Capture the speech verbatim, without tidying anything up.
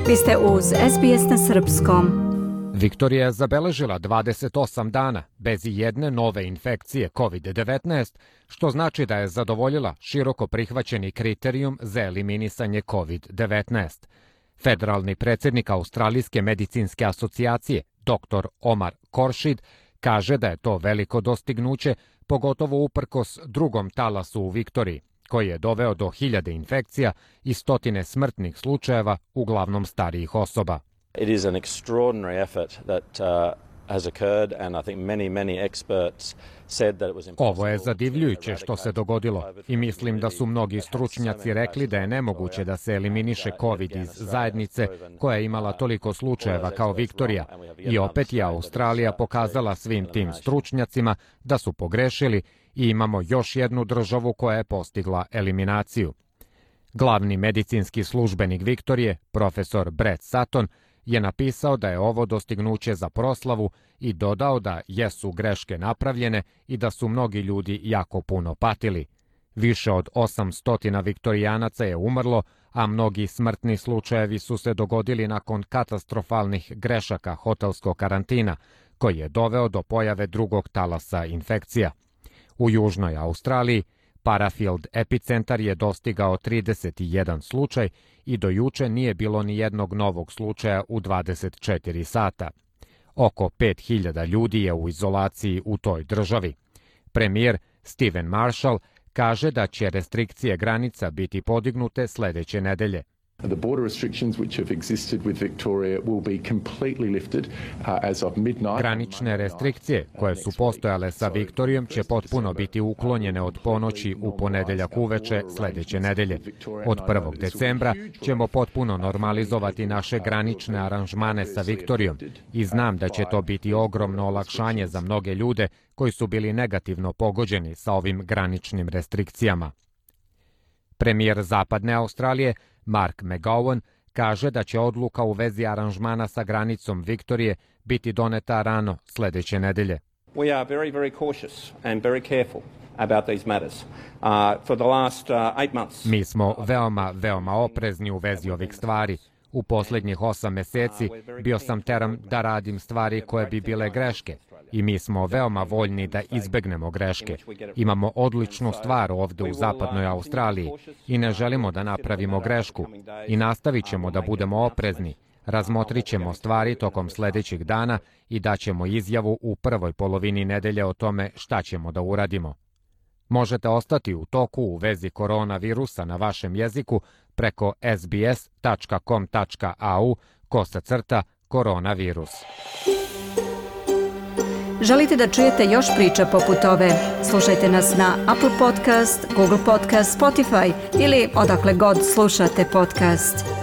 Vi ste uz S B S na srpskom. Viktorija je zabeležila dvadeset osam dana bez ijedne nove infekcije kovid devetnaest, što znači da je zadovoljila široko prihvaćeni kriterijum za eliminisanje kovid devetnaest. Federalni predsjednik Australijske medicinske asocijacije, doktor Omar Khorshid, kaže da je to veliko dostignuće, pogotovo uprkos drugom talasu u Viktoriji, koji je doveo do hiljade infekcija i stotine smrtnih slučajeva, uglavnom starijih osoba. It is an extraordinary effort that uh, has occurred and I think many many experts said that it was impossible. Ovo je zadivljujuće što se dogodilo i mislim da su mnogi stručnjaci rekli da je nemoguće da se eliminiše COVID iz zajednice koja je imala toliko slučajeva kao Viktorija. I opet je Australija pokazala svim tim stručnjacima da su pogrešili i imamo još jednu državu koja je postigla eliminaciju. Glavni medicinski službenik Viktorije, profesor Brett Sutton, je napisao da je ovo dostignuće za proslavu i dodao da jesu greške napravljene i da su mnogi ljudi jako puno patili. Više od osamsto viktorijanaca je umrlo, a mnogi smrtni slučajevi su se dogodili nakon katastrofalnih grešaka hotelskog karantina, koji je doveo do pojave drugog talasa infekcija. U južnoj Australiji Parafield epicentar je dostigao trideset jedan slučaj i do juče nije bilo ni jednog novog slučaja u dvadeset četiri sata. Oko pet hiljada ljudi je u izolaciji u toj državi. Premijer Stephen Marshall kaže da će restrikcije granica biti podignute sljedeće nedelje. The border restrictions which have existed with Victoria will be completely lifted uh, as of midnight. Granične restrikcije koje su postojale sa Viktorijom će potpuno biti uklonjene od ponoći u ponedeljak uveče sljedeće nedelje. Od prvog decembra ćemo potpuno normalizovati naše granične aranžmane sa Viktorijom i znam da će to biti ogromno olakšanje za mnoge ljude koji su bili negativno pogođeni sa ovim graničnim restrikcijama. Premijer Zapadne Australije Mark McGowan kaže da će odluka u vezi aranžmana sa granicom Viktorije biti doneta rano sljedeće nedelje. We are very, very cautious and very careful about these matters. Uh, for the last uh, eight months. Mi smo veoma, veoma oprezni u vezi ovih stvari. U posljednjih osam mjeseci bio sam teran da radim stvari koje bi bile greške i mi smo veoma voljni da izbegnemo greške. Imamo odličnu stvar ovdje u zapadnoj Australiji i ne želimo da napravimo grešku i nastavit ćemo da budemo oprezni. Razmotrit ćemo stvari tokom sljedećih dana i daćemo izjavu u prvoj polovini nedelje o tome šta ćemo da uradimo. Možete ostati u toku u vezi koronavirusa na vašem jeziku preko sbs tačka com tačka au kosa crta koronavirus. Želite da čujete još priča poput ove? Slušajte nas na Apple Podcast, Google Podcast, Spotify ili odakle god slušate podcast.